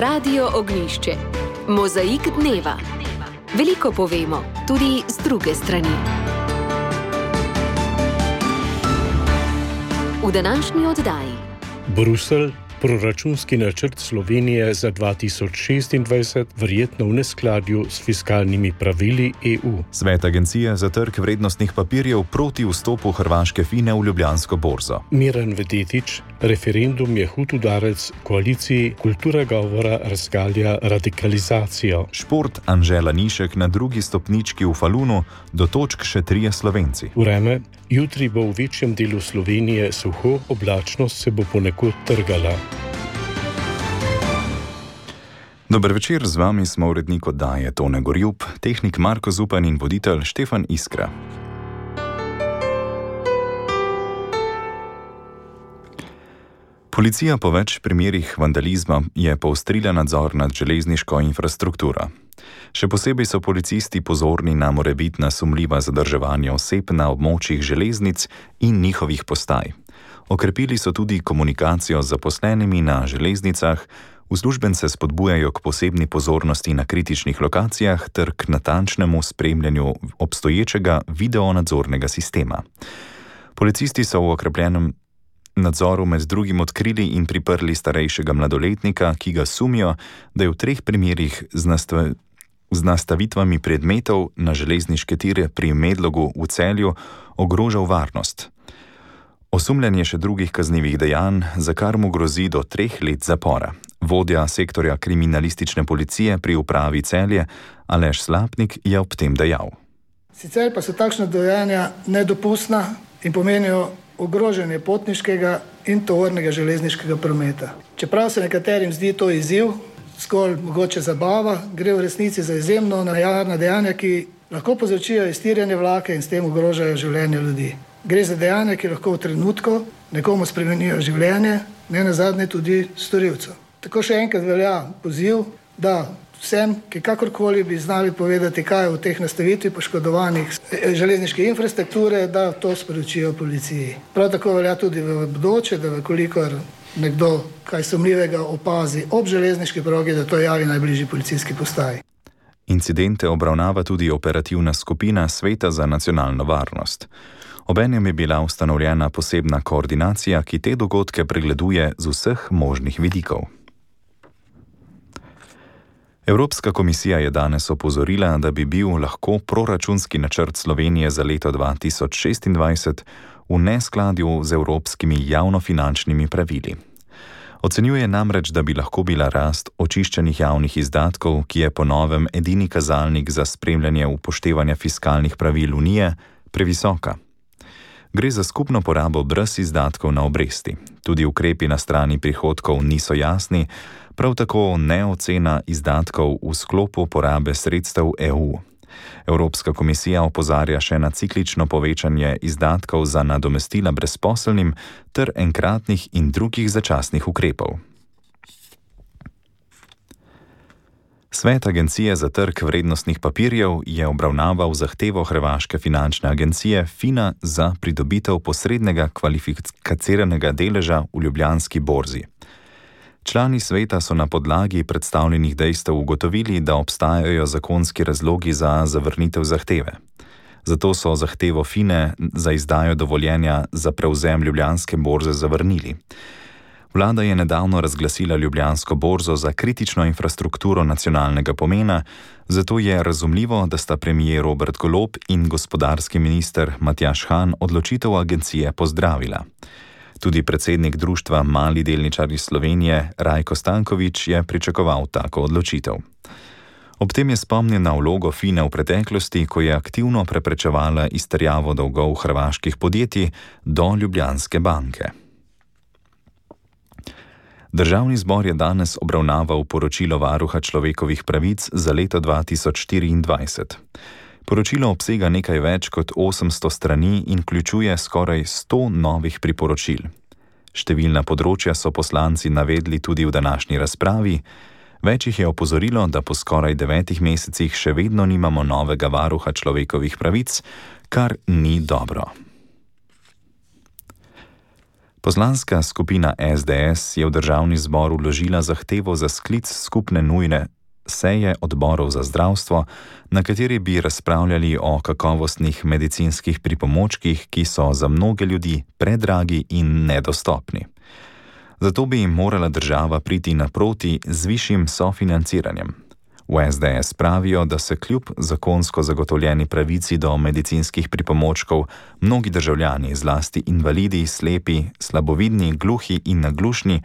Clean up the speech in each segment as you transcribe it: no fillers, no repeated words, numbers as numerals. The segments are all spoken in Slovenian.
Radio Ognjišče. Mozaik dneva. Veliko povemo, tudi z druge strani. V današnji oddaji. Bruselj, proračunski načrt Slovenije za 2026 verjetno v neskladju s fiskalnimi pravili EU. Svet Agencije za trg vrednostnih papirjev proti vstopu hrvaške Fine v Ljubljansko borzo. Miran Vedetič, referendum je hud udarec koaliciji, kultura govora razgalja radikalizacijo. Šport, Anžela Nišek na drugi stopnički v Falunu, do točk še 3 Slovenci. Vreme, jutri bo v večjem delu Slovenije suho, oblačnost se bo ponekod trgala. Dober večer, z vami smo urednik oddaje Tone Gorjup, tehnik Marko Zupan in voditelj Štefan Iskra. Policija po več primerih vandalizma je poostrila nadzor nad železniško infrastrukturo. Še posebej so policisti pozorni na morebitna sumljiva zadrževanja oseb na območjih železnic in njihovih postaj. Okrepili so tudi komunikacijo z zaposlenimi na železnicah, uslužbence spodbujajo k posebni pozornosti na kritičnih lokacijah ter k natančnemu spremljanju obstoječega videonadzornega sistema. Policisti so v okrepljenem nadzoru med drugim odkrili in priprli starejšega mladoletnika, ki ga sumijo, da je v 3 primerih z nastavitvami predmetov na železniške tire pri Medlogu v Celju ogrožal varnost. Osumljen je še drugih kaznivih dejanj, za kar mu grozi do 3 let zapora. Vodja sektorja kriminalistične policije pri upravi Celje, Aleš Slapnik, je ob tem dejal. Sicer pa so takšna dejanja nedopustna in pomenijo ogrožanje potniškega in tovornega železniškega prometa. Čeprav se nekaterim zdi to izziv, zgolj mogoče zabava, gre v resnici za izjemno nevarna dejanja, ki lahko povzročijo iztirjanje vlaka in s tem ogrožajo življenje ljudi. Gre za dejanja, ki lahko v trenutku nekomu spremenijo življenje, ne nazadnje tudi storilcev. Tako še enkrat velja poziv, da vsem, ki kakorkoli bi znali povedati, kaj je v teh nastavitvi poškodovanih železniške infrastrukture, da to sporočijo policiji. Prav tako velja tudi v bodoče, da vekolikor nekdo kaj sumljivega opazi ob železniški progi, da to javi najbližji policijski postaji. Incidente obravnava tudi operativna skupina Sveta za nacionalno varnost. Obenem je bila ustanovljena posebna koordinacija, ki te dogodke pregleduje z vseh možnih vidikov. Evropska komisija je danes opozorila, da bi bil lahko proračunski načrt Slovenije za leto 2026 v neskladju z evropskimi javnofinančnimi pravili. Ocenjuje namreč, da bi lahko bila rast očiščenih javnih izdatkov, ki je po novem edini kazalnik za spremljanje upoštevanja fiskalnih pravil Unije, previsoka. Gre za skupno porabo brez izdatkov na obresti. Tudi ukrepi na strani prihodkov niso jasni, prav tako ne ocena izdatkov v sklopu porabe sredstev EU. Evropska komisija opozarja še na ciklično povečanje izdatkov za nadomestila brezposelnim ter enkratnih in drugih začasnih ukrepov. Svet Agencije za trg vrednostnih papirjev je obravnaval zahtevo hrvaške finančne agencije Fina za pridobitev posrednega kvalificiranega deleža v Ljubljanski borzi. Člani sveta so na podlagi predstavljenih dejstev ugotovili, da obstajajo zakonski razlogi za zavrnitev zahteve. Zato so zahtevo Fine za izdajo dovoljenja za prevzem Ljubljanske borze zavrnili. Vlada je nedavno razglasila Ljubljansko borzo za kritično infrastrukturo nacionalnega pomena, zato je razumljivo, da sta premier Robert Golob in gospodarski minister Matjaž Han odločitev agencije pozdravila. Tudi predsednik društva Mali delničarji Slovenije Rajko Stanković je pričakoval tako odločitev. Ob tem je spomnil na vlogo Fine v preteklosti, ko je aktivno preprečevala izterjavo dolgov hrvaških podjetij do Ljubljanske banke. Državni zbor je danes obravnaval poročilo Varuha človekovih pravic za leto 2024. Poročilo obsega nekaj več kot 800 strani in vključuje skoraj 100 novih priporočil. Številna področja so poslanci navedli tudi v današnji razpravi. Več jih je opozorilo, da po skoraj 9 mesecih še vedno nimamo novega varuha človekovih pravic, kar ni dobro. Poslanska skupina SDS je v državni zbor vložila zahtevo za sklic skupne nujne seje odborov za zdravstvo, na kateri bi razpravljali o kakovostnih medicinskih pripomočkih, ki so za mnoge ljudi predragi in nedostopni. Zato bi jim morala država priti naproti z višjim sofinanciranjem. V SDS pravijo, da se kljub zakonsko zagotovljeni pravici do medicinskih pripomočkov mnogi državljani, zlasti invalidi, slepi, slabovidni, gluhi in naglušni,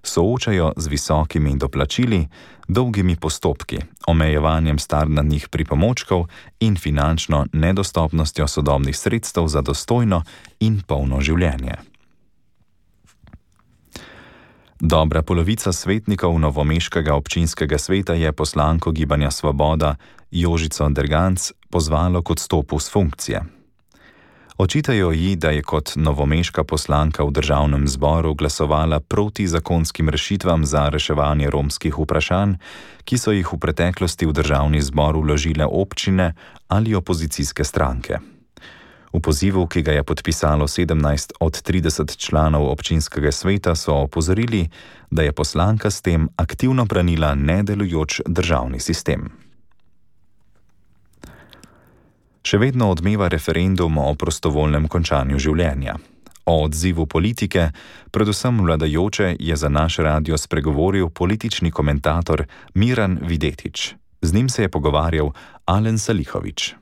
soočajo z visokimi doplačili, dolgimi postopki, omejevanjem standardnih pripomočkov in finančno nedostopnostjo sodobnih sredstev za dostojno in polno življenje. Dobra polovica svetnikov novomeškega občinskega sveta je poslanko Gibanja Svoboda Jožico Derganc pozvalo k odstopu s funkcije. Očitajo ji, da je kot novomeška poslanka v državnem zboru glasovala proti zakonskim rešitvam za reševanje romskih vprašanj, ki so jih v preteklosti v državni zbor vložile občine ali opozicijske stranke. V pozivu, ki ga je podpisalo 17 od 30 članov občinskega sveta, so opozorili, da je poslanka s tem aktivno branila nedelujoč državni sistem. Še vedno odmeva referendum o prostovoljnem končanju življenja. O odzivu politike, predvsem vladajoče, je za naš radio spregovoril politični komentator Miran Videtič. Z njim se je pogovarjal Alen Salihović.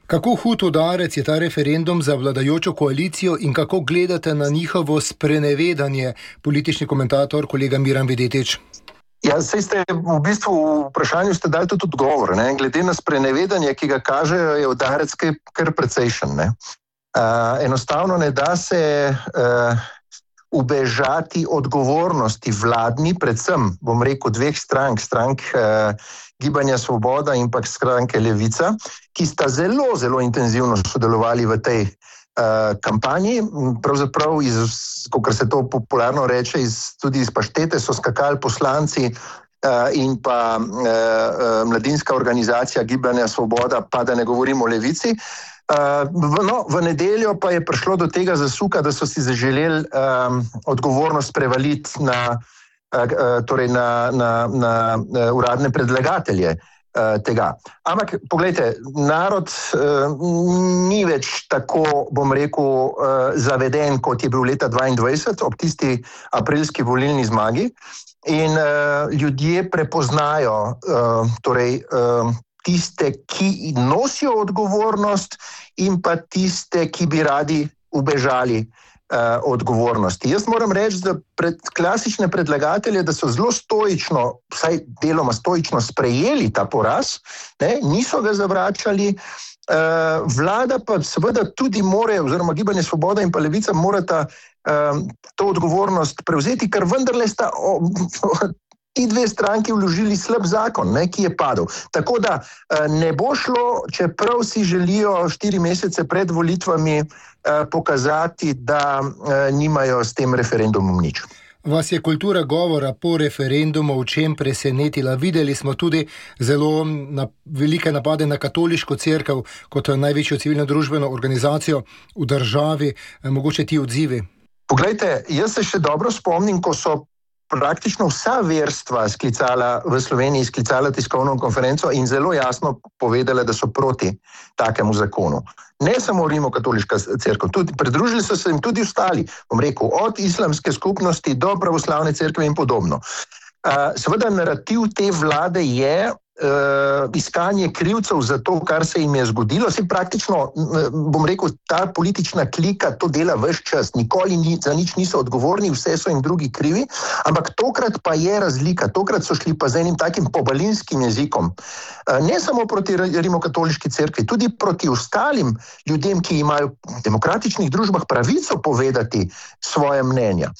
Kako hud udarec je ta referendum za vladajočo koalicijo in kako gledate na njihovo sprenevedanje, politični komentator kolega Miran Videtič? Ja, saj ste v bistvu v vprašanju ste dali tudi odgovor. Ne? Glede na sprenevedanje, ki ga kažejo, je udarec kar precejšen. Enostavno ne da se ubežati odgovornosti vladni, predvsem, bom rekel, dveh strank Gibanja Svoboda in pa stranke Levica, ki sta zelo, zelo intenzivno sodelovali v tej kampanji. Pravzaprav, kot se to popularno reče, tudi iz paštete so skakali poslanci in pa mladinska organizacija Gibanja Svoboda, pa da ne govorimo o Levici. V nedeljo pa je prišlo do tega zasuka, da so si zaželeli odgovornost prevaliti na uradne predlagatelje tega. Ampak, poglejte, narod ni več tako, bom rekel, zaveden, kot je bil leta 2022 ob tisti aprilski volilni zmagi in ljudje prepoznajo tiste, ki nosijo odgovornost in pa tiste, ki bi radi ubežali odgovornosti. Jaz moram reči, da klasične predlagatelje, da so zelo stoično, vsaj deloma stoično sprejeli ta poraz, niso ga zavračali, vlada pa seveda tudi more, oziroma Gibanje Svoboda in pa Levica morata to odgovornost prevzeti, ker vendarle sta ti dve stranki vložili slab zakon, ki je padel. Tako da ne bo šlo, čeprav si želijo 4 mesece pred volitvami pokazati, da nimajo s tem referendumom nič. Vas je kultura govora po referendumu v čem presenetila? Videli smo tudi zelo velike napade na katoliško cerkev kot največjo civilno-družbeno organizacijo v državi. Mogoče ti odzivi? Poglejte, jaz se še dobro spomnim, ko so praktično vsa verstva v Sloveniji sklicala tiskovno konferenco in zelo jasno povedala, da so proti takemu zakonu. Ne samo Rimokatoliška cerkev, pridružili so se jim tudi ostali, bom rekel, od islamske skupnosti do pravoslavne cerkve in podobno. Seveda narativ te vlade je iskanje krivcev za to, kar se jim je zgodilo. Vsi praktično, bom rekel, ta politična klika to dela ves čas. Nikoli za nič niso odgovorni, vse so jim drugi krivi, ampak tokrat pa je razlika. Tokrat so šli pa z enim takim pobalinskim jezikom. Ne samo proti Rimokatoliški cerkvi, tudi proti ostalim ljudem, ki imajo v demokratičnih družbah pravico povedati svoje mnenja.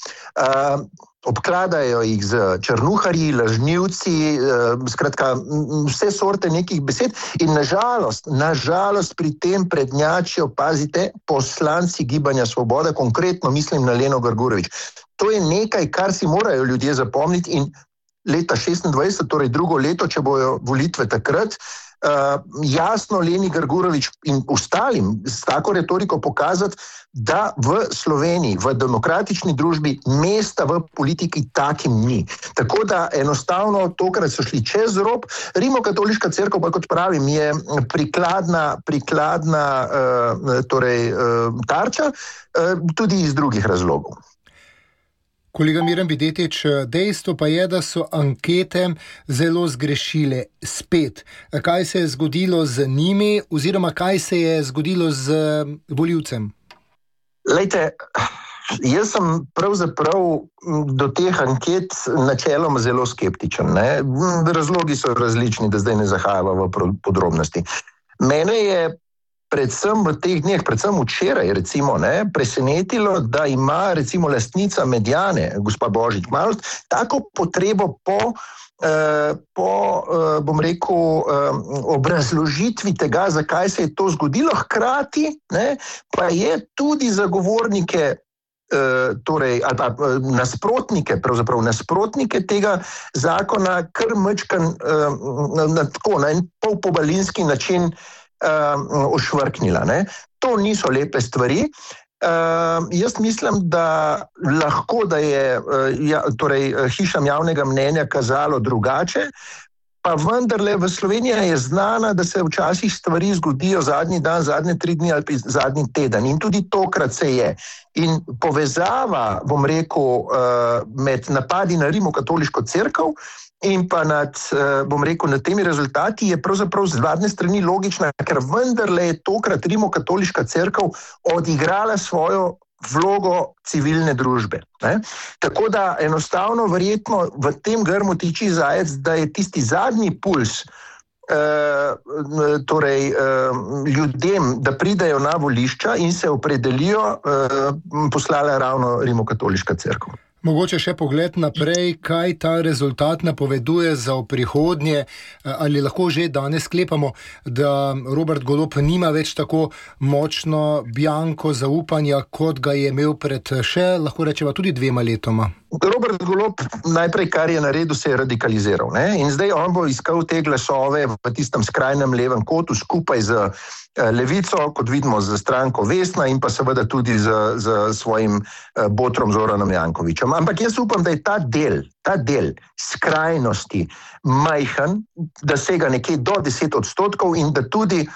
Obkladajo jih z črnuharji, lažnivci, skratka vse sorte nekih besed in nažalost pri tem prednjačijo, pazite, poslanci Gibanja Svoboda, konkretno mislim na Leno Grgurevič. To je nekaj, kar si morajo ljudje zapomniti in leta 26, torej drugo leto, če bojo volitve takrat, jasno Leni Grgurevič in ostalim s tako retoriko pokazati, da v Sloveniji, v demokratični družbi mesta v politiki takim ni. Tako da enostavno tokrat so šli čez rob. Rimokatoliška cerkev, pa kot pravim, je prikladna tarča, tudi iz drugih razlogov. Kolega Miran Videtič, dejstvo pa je, da so ankete zelo zgrešile spet. Kaj se je zgodilo z njimi oziroma kaj se je zgodilo z volivcem? Lejte, jaz sem pravzaprav do teh anket načeloma zelo skeptičen. Ne? Razlogi so različni, da zdaj ne zahajamo v podrobnosti. Mene je predvsem v teh dneh, predvsem včeraj recimo, presenetilo, da ima recimo lastnica Mediane, gospa Božič Malst, tako potrebo po bom rekel, obrazložitvi tega, zakaj se je to zgodilo, hkrati pa je tudi zagovornike ali pa nasprotnike tega zakona kar mečkan na en polpobalinski način ošvrknila. To niso lepe stvari. Jaz mislim, da lahko, da je hišam javnega mnenja kazalo drugače, pa vendarle v Sloveniji je znana, da se včasih stvari zgodijo zadnji dan, zadnje 3 dni ali pa zadnji teden. In tudi tokrat se je. In povezava, bom rekel, med napadi na Rimokatoliško cerkev in pa nad temi rezultati je pravzaprav z vladne strani logična, ker vendarle je tokrat Rimokatoliška cerkev odigrala svojo vlogo civilne družbe. Tako da enostavno verjetno v tem grmu tiči zajec, da je tisti zadnji puls ljudem, da pridejo na volišča in se opredelijo, poslala ravno Rimokatoliška cerkev. Mogoče še pogled naprej, kaj ta rezultat napoveduje za v prihodnje, ali lahko že danes sklepamo, da Robert Golob nima več tako močno bianko zaupanja, kot ga je imel pred lahko rečeva, tudi 2 letoma. Robert Golob najprej, kar je naredil, se je radikaliziral. In zdaj on bo iskal te glasove v tistem skrajnem levem kotu skupaj z Levico, kot vidimo z stranko Vesna in pa seveda tudi z svojim botrom Zoranom Jankovićem. Ampak jaz upam, da je ta del skrajnosti majhen, da sega nekje do 10% in da tudi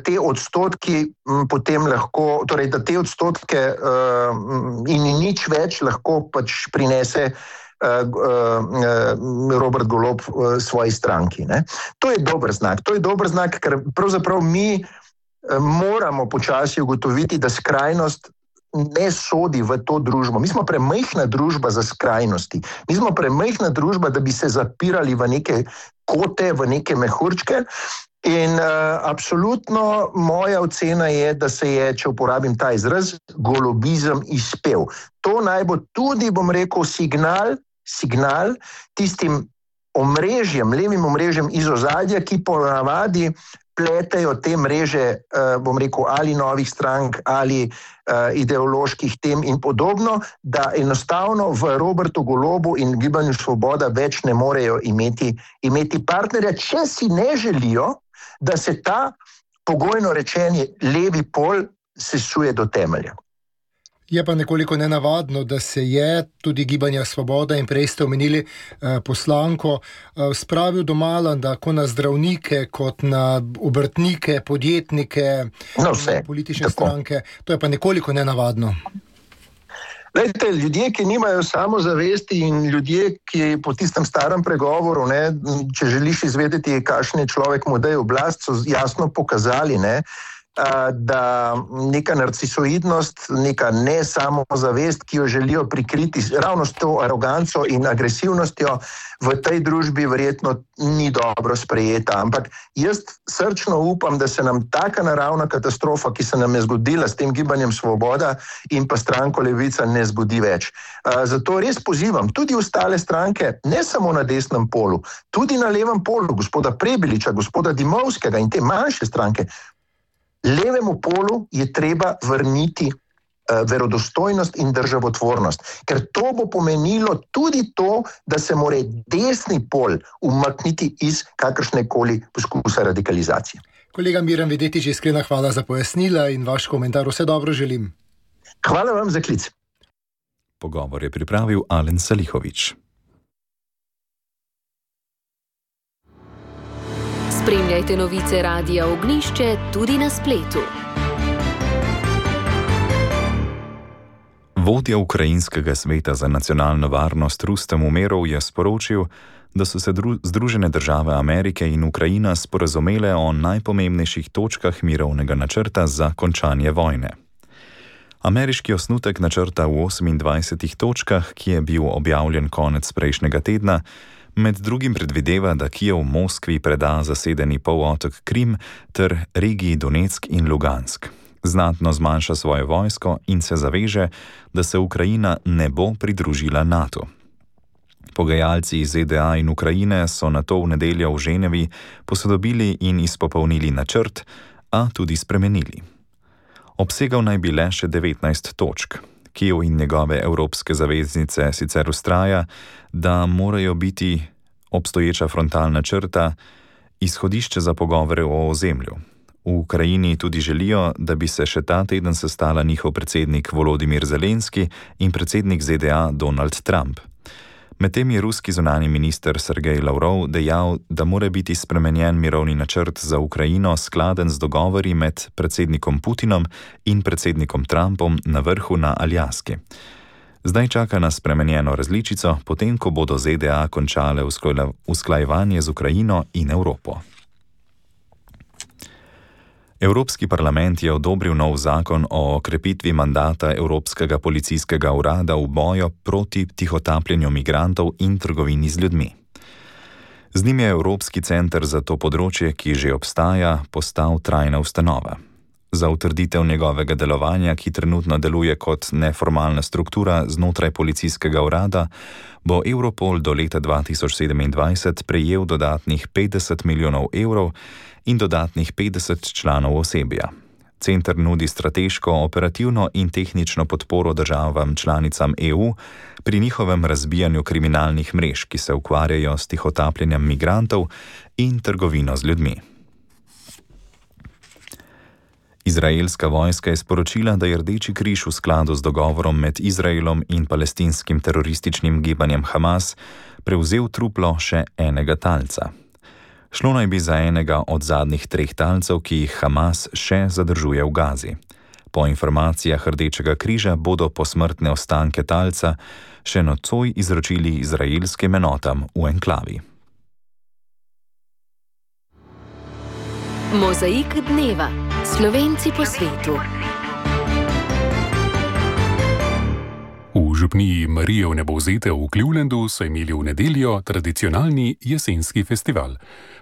te odstotki potem lahko, torej da te odstotke in nič več lahko pač prinese Robert Golob svoji stranki. To je dober znak, ker pravzaprav mi moramo počasi ugotoviti, da skrajnost ne sodi v to družbo. Mi smo premajhna družba za skrajnosti. Mi smo premajhna družba, da bi se zapirali v neke kote, v neke mehurčke. In absolutno moja ocena je, da se je, če uporabim ta izraz, golobizem izpel. To naj bo tudi, bom rekel, signal tistim omrežjem, levim omrežjem iz ozadja, ki ponavadi pletejo te mreže, bom rekel, ali novih strank, ali ideoloških tem in podobno, da enostavno v Robertu Golobu in Gibanju Svoboda več ne morejo imeti partnerja, če si ne želijo, da se ta pogojno rečeni levi pol sesuje do temelja. Je pa nekoliko nenavadno, da se je tudi Gibanja Svoboda in prej ste omenili poslanko spravil domala tako na zdravnike kot na obrtnike, podjetnike, politične stranke. To je pa nekoliko nenavadno. Lejte, ljudje, ki nimajo samozavesti in ljudje, ki po tistem starem pregovoru, če želiš izvedeti, kakšen je človek, mu daje oblast, so jasno pokazali, da neka narcisoidnost, neka nesamozavest, ki jo želijo prikriti ravno s to aroganco in agresivnostjo, v tej družbi verjetno ni dobro sprejeta. Ampak jaz srčno upam, da se nam taka naravna katastrofa, ki se nam je zgodila s tem Gibanjem Svoboda in pa stranko Levica, ne zgodi več. Zato res pozivam tudi ostale stranke, ne samo na desnem polu, tudi na levem polu, gospoda Prebiliča, gospoda Dimovskega in te manjše stranke. Levemu polu je treba vrniti verodostojnost in državotvornost. Ker to bo pomenilo tudi to, da se mora desni pol umakniti iz kakršnekoli poskusa radikalizacije. Kolega Miran Videtič, iskrena hvala za pojasnila in vaš komentar. Vse dobro želim. Hvala vam za klic. Pogovor je pripravil Alen Salihović. Spremljajte novice Radia Ognjišče tudi na spletu. Vodja Ukrajinskega sveta za nacionalno varnost Rustem Umerov je sporočil, da so se Združene države Amerike in Ukrajina sporazumele o najpomembnejših točkah mirovnega načrta za končanje vojne. Ameriški osnutek načrta v 28 točkah, ki je bil objavljen konec prejšnjega tedna, med drugim predvideva, da Kijev Moskvi preda zasedeni polotok Krim ter regiji Donetsk in Lugansk. Znatno zmanjša svoje vojsko in se zaveže, da se Ukrajina ne bo pridružila NATO. Pogajalci iz ZDA in Ukrajine so nato v nedeljo v Ženevi posodobili in izpopolnili načrt, a tudi spremenili. Obsegal naj bi le še 19 točk. Kijev in njegove evropske zaveznice sicer vztraja, da morajo biti obstoječa frontalna črta izhodišče za pogovore o ozemlju. V Ukrajini tudi želijo, da bi se še ta teden sestala njihov predsednik Volodimir Zelenski in predsednik ZDA Donald Trump. Medtem je ruski zunanji minister Sergej Lavrov dejal, da mora biti spremenjen mirovni načrt za Ukrajino skladen z dogovori med predsednikom Putinom in predsednikom Trumpom na vrhu na Aljaski. Zdaj čaka na spremenjeno različico, potem ko bodo ZDA končale usklajevanje z Ukrajino in Evropo. Evropski parlament je odobril nov zakon o okrepitvi mandata Evropskega policijskega urada v boju proti tihotapljenju migrantov in trgovini z ljudmi. Z njim je Evropski center za to področje, ki že obstaja, postal trajna ustanova. Za utrditev njegovega delovanja, ki trenutno deluje kot neformalna struktura znotraj policijskega urada, bo Europol do leta 2027 prejel dodatnih 50 milijonov evrov in dodatnih 50 članov osebja. Center nudi strateško, operativno in tehnično podporo državam članicam EU pri njihovem razbijanju kriminalnih mrež, ki se ukvarjajo s tihotapljenjem migrantov in trgovino z ljudmi. Izraelska vojska je sporočila, da je Rdeči križ v skladu z dogovorom med Izraelom in palestinskim terorističnim gibanjem Hamas prevzel truplo še enega talca. Šlo naj bi za enega od zadnjih 3 talcev, ki jih Hamas še zadržuje v Gazi. Po informacijah Rdečega križa bodo posmrtne ostanke talca še nocoj izročili izraelskim enotam v enklavi. Mozaik dneva. Slovenci po svetu. V župniji Marije Vnebovzete v Clevelandu so imeli v nedeljo tradicionalni jesenski festival.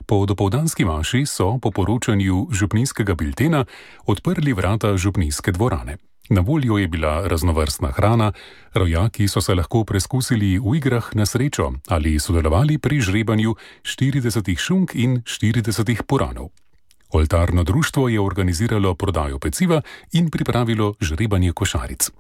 Po dopoldanski maši so po poročanju župnijskega biltena odprli vrata župnijske dvorane. Na voljo je bila raznovrstna hrana, rojaki so se lahko preskusili v igrah na srečo ali sodelovali pri žrebanju 40 šunk in 40 puranov. Oltarno društvo je organiziralo prodajo peciva in pripravilo žrebanje košaric.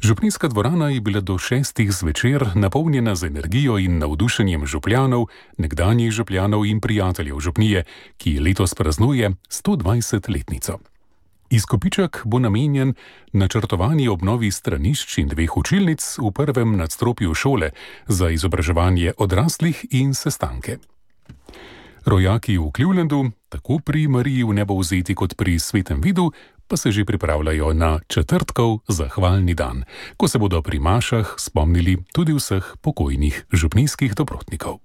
Župnijska dvorana je bila do 6 zvečer napolnjena z energijo in navdušenjem župljanov, nekdanjih župljanov in prijateljev župnije, ki letos praznuje 120-letnico. Izkupiček bo namenjen načrtovani obnovi stranišč in 2 učilnic v prvem nadstropju šole za izobraževanje odraslih in sestanke. Rojaki v Clevelandu, tako pri Mariji Vnebovzeti kot pri Svetem Vidu, pa se že pripravljajo na četrtkov zahvalni dan, ko se bodo pri mašah spomnili tudi vseh pokojnih župnijskih dobrotnikov.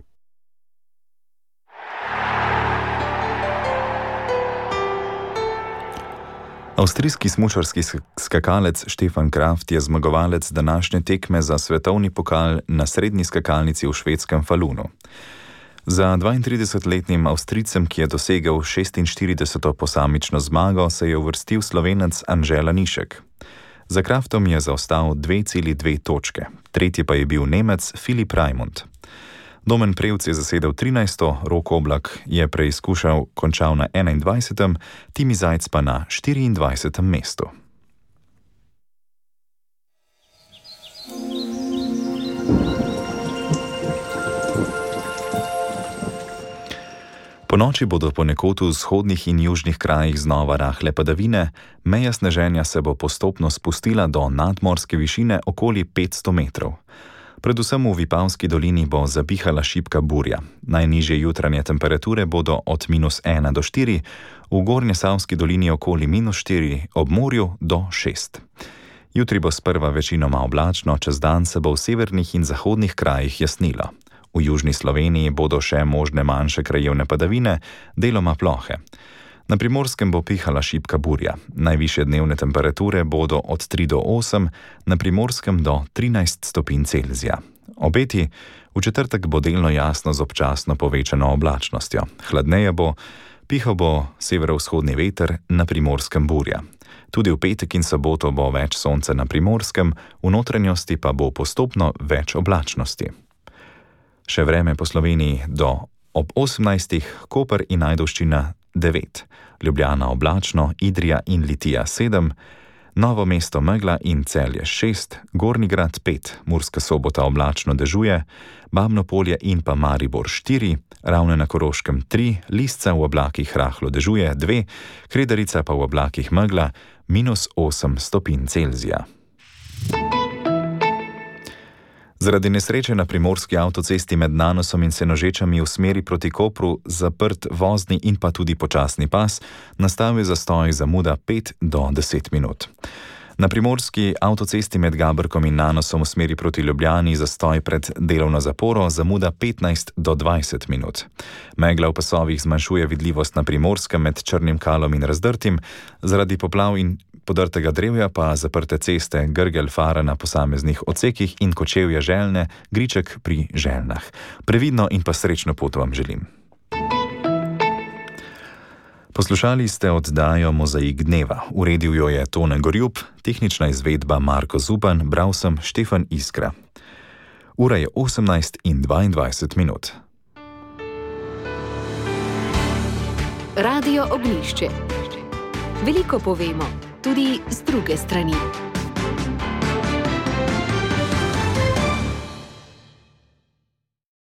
Avstrijski smučarski skakalec Stefan Kraft je zmagovalec današnje tekme za svetovni pokal na srednji skakalnici v švedskem Falunu. Za 32-letnim Avstrijcem, ki je dosegel 46. posamično zmago, se je uvrstil Slovenec Anže Lanišek. Za Kraftom je zaostal 2,2 točke, tretji pa je bil Nemec Filip Raimund. Domen Prevc je zasedel 13. Rok Oblak je preizkušal, končal na 21. Timi Zajc pa na 24. mestu. Po noči bodo ponekod v vzhodnih in južnih krajih znova rahle padavine, meja sneženja se bo postopno spustila do nadmorske višine okoli 500 metrov. Predvsem v Vipavski dolini bo zapihala šibka burja. Najnižje jutranje temperature bodo od -1 do 4, v Gornjesavski dolini okoli -4, ob morju do 6. Jutri bo sprva večinoma oblačno, čez dan se bo v severnih in zahodnih krajih jasnilo. V južni Sloveniji bodo še možne manjše krajevne padavine, deloma plohe. Na Primorskem bo pihala šibka burja. Najvišje dnevne temperature bodo od 3 do 8, na Primorskem do 13 stopinj Celzija. Obeti: v četrtek bo delno jasno z občasno povečano oblačnostjo. Hladneje bo, pihal bo severovzhodni veter, na Primorskem burja. Tudi v petek in soboto bo več sonca na Primorskem, v notranjosti pa bo postopno več oblačnosti. Še vreme po Sloveniji do ob 18, Koper in Ajdovščina 9, Ljubljana oblačno, Idrija in Litija 7, Novo mesto megla in Celje 6, Gornji Grad 5, Murska Sobota oblačno dežuje, Babno Polje in pa Maribor 4, Ravne na Koroškem 3, Lisca v oblakih rahlo dežuje 2, Kredarica pa v oblakih megla, -8 stopinj Celzija. Zaradi nesreče na primorski avtocesti med Nanosom in Senožečami v smeri proti Kopru zaprt vozni in pa tudi počasni pas, nastal je zastoj zamuda 5 do 10 minut. Na primorski avtocesti med Gabrkom in Nanosom v smeri proti Ljubljani zastoj pred delovno zaporo, zamuda 15 do 20 minut. Megla v pasovih zmanjšuje vidljivost na Primorskem med Črnim Kalom in Razdrtim, zaradi poplav in podrtega drevja pa zaprte ceste Grgelj Fara na posameznih odsekih in Kočevje Željne, Griček pri Željnah. Previdno in pa srečno pot vam želim. Poslušali ste oddajo Mozaik dneva. Uredil jo je Tone Gorjup, tehnična izvedba Marko Zupan, bral sem Štefan Iskra. Ura je 18:22 minut. Radio Ognjišče. Veliko povemo, tudi z druge strani.